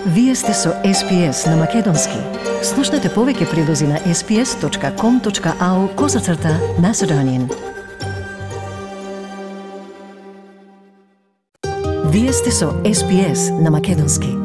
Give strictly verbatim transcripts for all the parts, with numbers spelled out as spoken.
Вие сте со Ес Пи Ес на Македонски. Слушнете повеќе прилози на ес пи ес точка ком точка ау козацрта Macedonian. Вие сте со Ес Пи Ес на Македонски.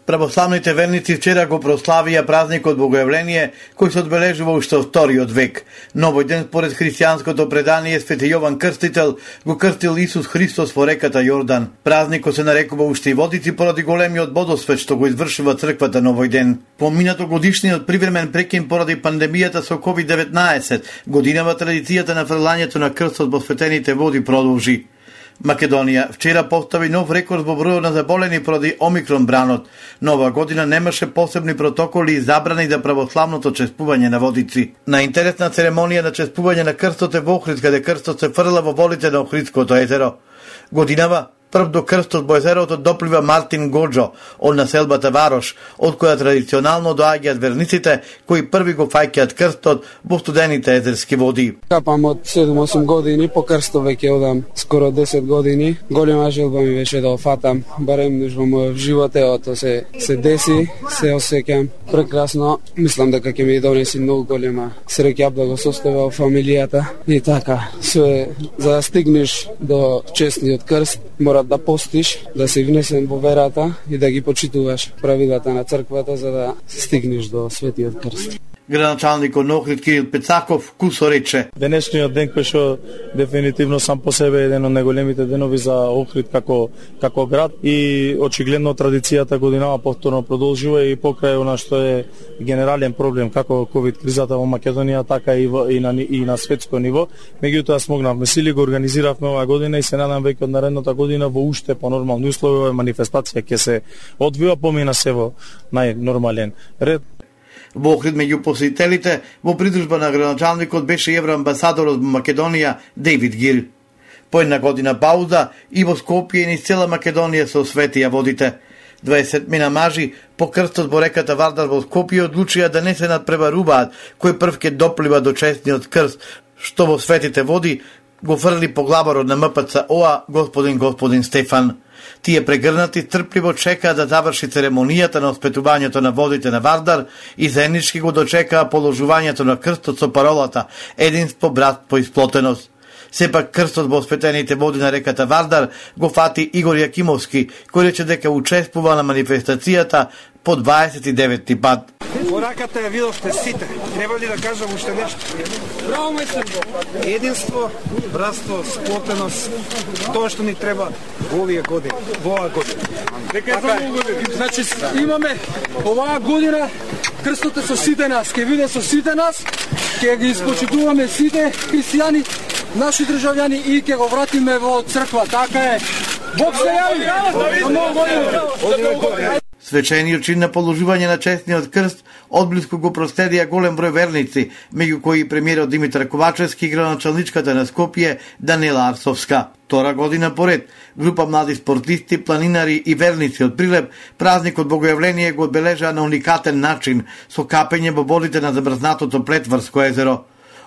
Православните верници вчера го прославија празникот Богојавление, кој се одбележува уште во вториот век. Новој ден според христијанското предание Свети Јован Крстител го крстил Исус Христос во реката Јордан. Празникот се нарекува уште и водици поради големиот водосвет што го извршува црквата новој ден. Поминато годишниот привремен прекин поради пандемијата со ковид деветнаесет, годинава традицијата на фрлањето на крстот во светените води продолжи. Македонија вчера постави нов рекорд во бројот на заболени поради Омикрон бранот. Нова година немаше посебни протоколи и забрани за православното чествување на водици. На интересна церемонија на чествување на крстот е во Охрид, каде крстот се фрла во водите на Охридското езеро. Годинава прв до крстот во езерото доплива Мартин Гоџо од населбата Варош, од која традиционално доаѓаат верниците кои први го фаќаат крстот во студените езерски води. Капам од седум-осум години, по крстот веќе одам скоро десет години. Голема желба ми беше да го фатам, барем нешто во животот се се деси, се осеќам прекрасно. Мислам дека ќе ми донеси многу голема среќа да го составам во фамилијата и така. Се за да стигнеш до честниот крст, мора да постиш, да се внесен во верата и да ги почитуваш правилата на црквата за да стигнеш до светиот крст. Градоначалникот на Охрид Кирил Пецаков кусо рече: денешниот ден кој што дефинитивно сам по себе е еден од најголемите денови за Охрид како како град и очигледно традицијата годинава повторно продолжува и покрај она што е генерален проблем како ковид кризата во Македонија, така и, во, и на и на светско ниво. Меѓутоа смогнавме сили, го организиравме оваа година и се надам веќе од наредната година во уште понормални услови оваа манифестација ќе се одвива, помина се во најнормален ред. Во Охрид меѓу посетителите во придружба на градоначалникот беше евроамбасадорот во Македонија Дейвид Гил. По една година пауза и во Скопје и низ цела Македонија се осветија водите. дваесет мина мажи по крстот во реката Вардар во Скопје одлучија да не се надпреваруваат кој прв ќе доплива до честниот крст, што во светите води го фрли поглаварот на М П Ц О А господин господин Стефан. Тие прегрнати трпливо чекаа да заврши церемонијата на оспетувањето на водите на Вардар и заеднички го дочекаа положувањето на крстот со паролата единство, братство и сплотеност. Сепак крстот во осветените води на реката Вардар го фати Игор Јакимовски, кој рече дека учествува на манифестацијата по дваесет и деветти пат. Во раката ја видовте сите. Треба ли да кажам уште нешто? Браво, мајстер! Единство, братство, сплотеност, тоа што ни треба во овие години, во оваа година. Дека е само година. Значи имаме оваа година крстот е со сите нас, ќе биде со сите нас, ќе ги испочитуваме сите христијани, наши државјани и ќе го вратиме во црква. Така е. Бог се јави. Свечениот чин на положување на честниот крст одблиску го проследија голем број верници, меѓу кои премиерот Димитар Ковачевски и градоначалничката на Скопје Данила Арсовска. Втора година поред, група млади спортисти, планинари и верници од Прилеп празникот Богојавление го одбележаа на уникатен начин со капење во водите на замрзнатото Плетварско езеро.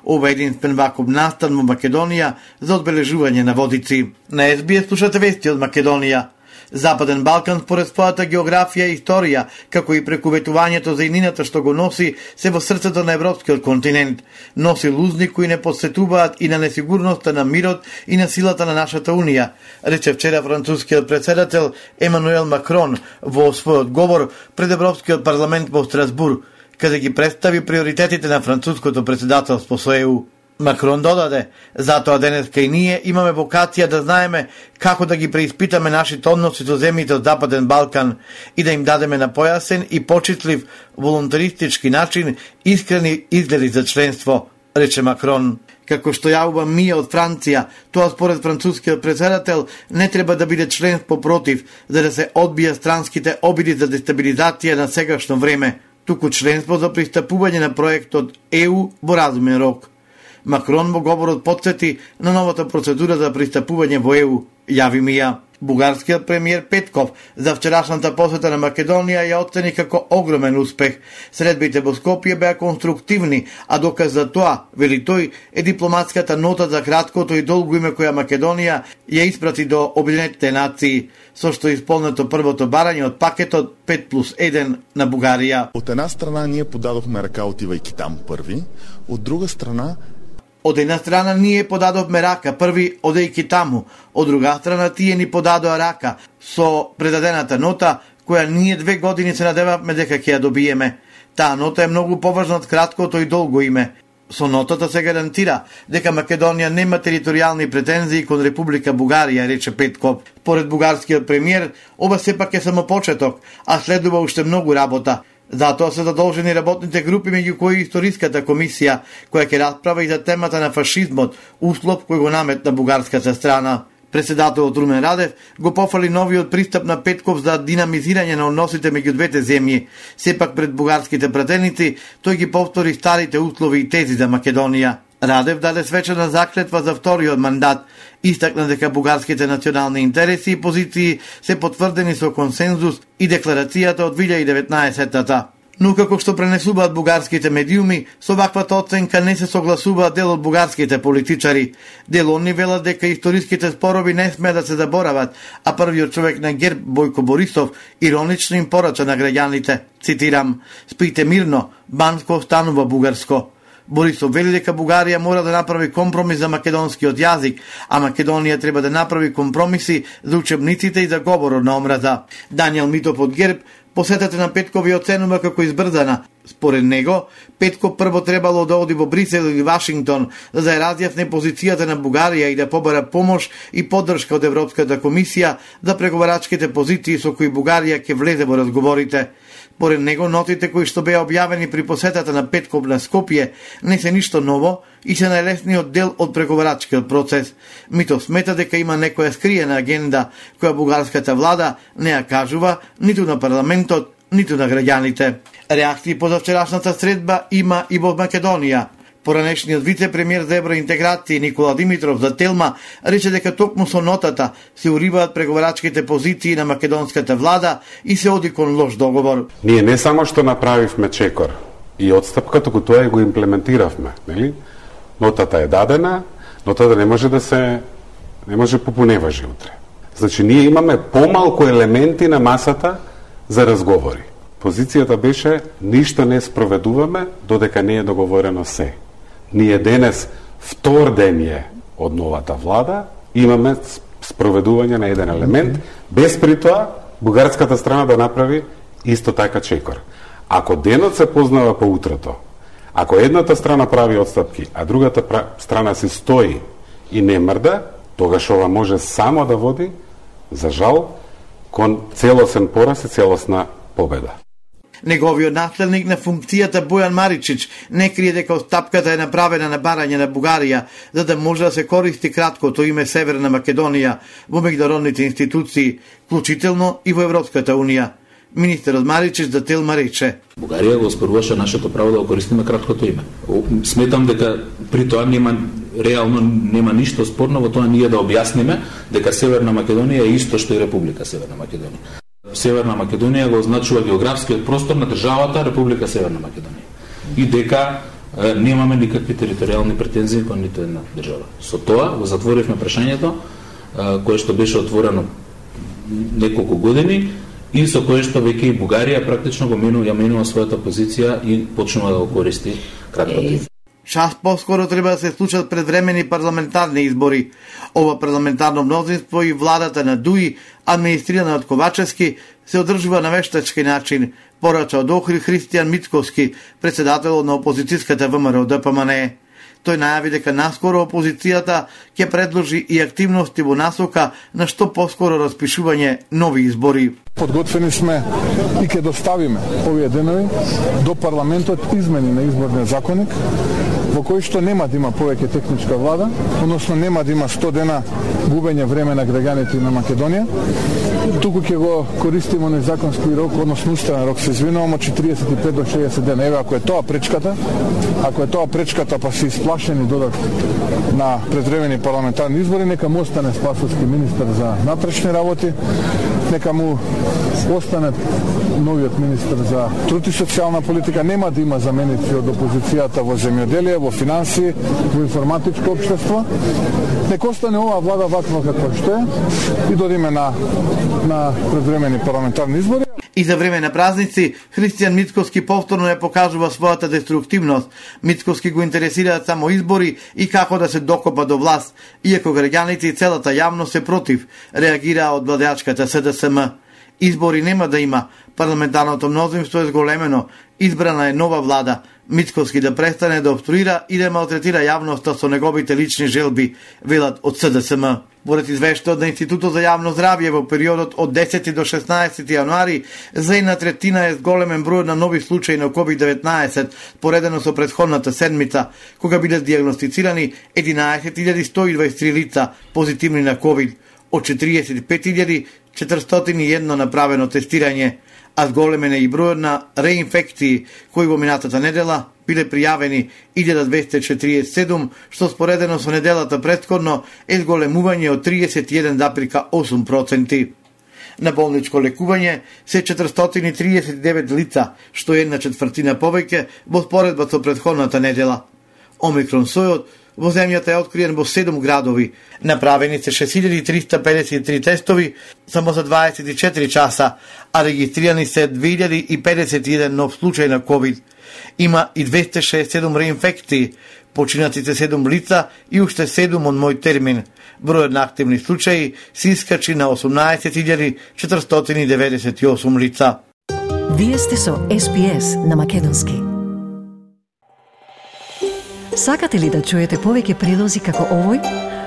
Ова е единствен ваков настан во Македонија за одбележување на водици. На Ес Би Ес слушате вести од Македонија. Западен Балкан според својата географија и историја, како и преку ветувањето за иднината што го носи, се во срцето на европскиот континент. Носи лузни кои не посетуваат и на несигурноста на мирот и на силата на нашата Унија, рече вчера францускиот председател Емануел Макрон во својот говор пред Европскиот парламент во Страсбур, каде ги представи приоритетите на француското председателство со Е У. Макрон додаде: затоа денеска и ние имаме вокација да знаеме како да ги преиспитаме нашите односи со земјите од Западен Балкан и да им дадеме на појасен и почитлив волонтаристички начин искрени изгледи за членство, рече Макрон. Како што јавува Мија од Франција, тоа според францускиот председател не треба да биде членство против, за да се одбија странските обиди за дестабилизација на сегашно време, туку членство за пристапување на проектот Е У во разумен рок. Макрон во говорот потсети на новата процедура за пристапување во Е У, јави Мија. Бугарскиот премиер Петков за вчерашната посета на Македонија ја оцени како огромен успех. Средбите во Скопје беа конструктивни, а доказ за тоа, вели тој, е дипломатската нота за краткото и долго име која Македонија ја испрати до Обединетите нации, со што исполнето првото барање од пакетот пет плюс еден на Бугарија. Од една страна ние подадовме рака отивајќи таму први, од друга страна Од една страна ние подадовме рака први одејќи таму, од друга страна тие ни подадоа рака со предадената нота која ние две години се надевавме дека ќе ја добиеме. Таа нота е многу поважна од краткото и долго име. Со нотата се гарантира дека Македонија нема територијални претензии кон Република Бугарија, рече Петков. Поред бугарскиот премиер, ова сепак е само почеток, а следува уште многу работа. Затоа се задолжени работните групи, меѓу кои историската комисија, која ќе расправа и за темата на фашизмот, услов кој го наметна бугарската страна. Председателот Румен Радев го пофали новиот пристап на Петков за динамизирање на односите меѓу двете земји. Сепак пред бугарските пратеници, тој ги повтори старите услови и тези за Македонија. Радев даде свечена заклетва за вториот мандат. Истакна дека бугарските национални интереси и позиции се потврдени со консензус и декларацијата од две илјади и деветнаесетта. Но како што пренесуваат бугарските медиуми, со ваквата оценка не се согласуваат дел од бугарските политичари. Дел онни велат дека историските спорови не смеа да се заборават, а првиот човек на ГЕРБ, Бојко Борисов, иронично им порача на граѓаните, цитирам: "Спите мирно, Банско останува бугарско." Борисов вели дека Бугарија мора да направи компромис за македонскиот јазик, а Македонија треба да направи компромиси за учебниците и за говорот на омраза. Даниел Митов од ГЕРБ посетата на Петков ја оценува како избрзана. Според него, Петков прво требало да оди во Брисел или Вашингтон за да ја разјасни позицијата на Бугарија и да побара помош и поддршка од Европската комисија за преговарачките позиции со кои Бугарија ќе влезе во разговорите. Поред него, нотите кои што беа објавени при посетата на Петков на Скопје не се ништо ново и се најлесниот дел од преговарачкиот процес. Митов смета дека има некоја скриена агенда која бугарската влада не ја кажува ниту на парламентот, ниту на граѓаните. Реакции по завчерашната средба има и во Македонија. Поранешниот вице-премиер за евроинтеграција Никола Димитров за Телма рече дека токму со нотата се уриваат преговарачките позиции на македонската влада и се оди кон лош договор. Ние не само што направивме чекор и отстапка, туку тоа и го имплементиравме, нели? Нотата е дадена, нотата не може да се не може попуневажи утре. Значи ние имаме помалку елементи на масата за разговори. Позицијата беше ништо не спроведуваме додека не е договорено се. Ние денес втор ден е од новата влада, имаме спроведување на еден елемент, без при тоа бугарската страна да направи исто така чекор. Ако денот се познава по утрото, ако едната страна прави отстапки, а другата страна се стои и не мрда, тогаш ова може само да води, за жал, кон целосен пораз и целосна победа. Неговиот наследник на функцијата Бојан Маричич не крие дека отстапката е направена на барање на Бугарија, за да може да се користи краткото име Северна Македонија во меѓународните институции, вклучително и во Европската унија. Министерот Маричич за Телма рече: Бугарија го оспоруваше нашето право да го користиме краткото име. Сметам дека при тоа нема реално нема ништо спорно во тоа ние да објасниме дека Северна Македонија е исто што и Република Северна Македонија. Северна Македонија го означува географскиот простор на државата Република Северна Македонија. И дека е, немаме никакви територијални претензии кон ниту една држава. Со тоа го затворивме прашањето е, кое што беше отворено неколку години и со кое што веќе и Бугарија практично го менува, ја менува својата позиција и почнува да го користи краткото. Час поскоро треба да се случат предвремени парламентарни избори. Ова парламентарно мнозинство и владата на Дуи, администрирана од Ковачевски, се одржува на вештачки начин, порача од Охрид Христијан Мицковски, председател на опозицијската ВМРО Д П М Н. Тој најави дека наскоро опозицијата ќе предложи и активности во насока на што поскоро распишување нови избори. Подготвени сме и ќе доставиме овие денови до парламентот измени на изборниот законник, во кој што нема да има повеќе техничка влада, односно нема да има сто дена губење време на граѓаните на Македонија, туку ќе го користиме на законски рок, односно уставен рок, се извинувам, од четириесет и пет до шеесет дена. Еве, ако е тоа пречката, ако е тоа пречката, па се исплашени додат на предвремени парламентарни избори, нека му остане Спасовски министер за натрешни работи, нека му остане новиот министер за труд и социјална политика, нема да има заменици од опозицијата во земјоделие, во финанси, во информатичко општество. Нека остане оваа влада ваква каква што е и додиме на на предвремени парламентарни избори. И за време на празници, Христијан Мицкоски повторно ја покажува својата деструктивност. Мицкоски го интересираат само избори и како да се докопа до власт, иако граѓаните и целата јавност се против, реагираа од владеачката С Д С М. Избори нема да има, парламентарното мнозинство е зголемено, избрана е нова влада, Мицкоски да престане да обструира и да малтретира јавноста со неговите лични желби, велат од С Д С М. Поред извештајот на Институтот за јавно здравје во периодот од десети до шеснаесети јануари, за една третина е зголемен број на нови случаи на ковид деветнаесет, поредено со претходната седмица, кога биле диагностицирани единаесет илјади сто и дваесет и три лица позитивни на ковид, од четириесет и пет илјади четиристотини и едно направено тестирање, а зголемен е и бројот на реинфекции, кои во минатата недела биле пријавени илјада двесте четириесет и седум, што споредено со неделата претходно е зголемување од тридесет и еден запирка осум проценти. На болничко лекување се четиристотини триесет и девет лица, што е една четвртина повеќе во споредба со претходната недела. Омикрон сојот во земјата е откриен во седум градови. Направени се шест илјади триста педесет и три тестови само за дваесет и четири часа, а регистрирани се две илјади и педесет и еден нов случај на ковид. Има и двесте шеесет и седум реинфекции, починатите седум лица и уште седум од мој термин. Бројот на активни случаи се искачи на осумнаесет илјади четиристотини деветдесет и осум лица. Вие сте со С Б С на Македонски. Сакате ли да чуете повеќе прилози како овој?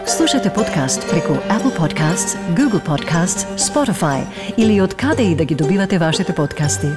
Слушате подкаст преку Apple Podcasts, Google Podcasts, Spotify или од каде и да ги добивате вашите подкасти.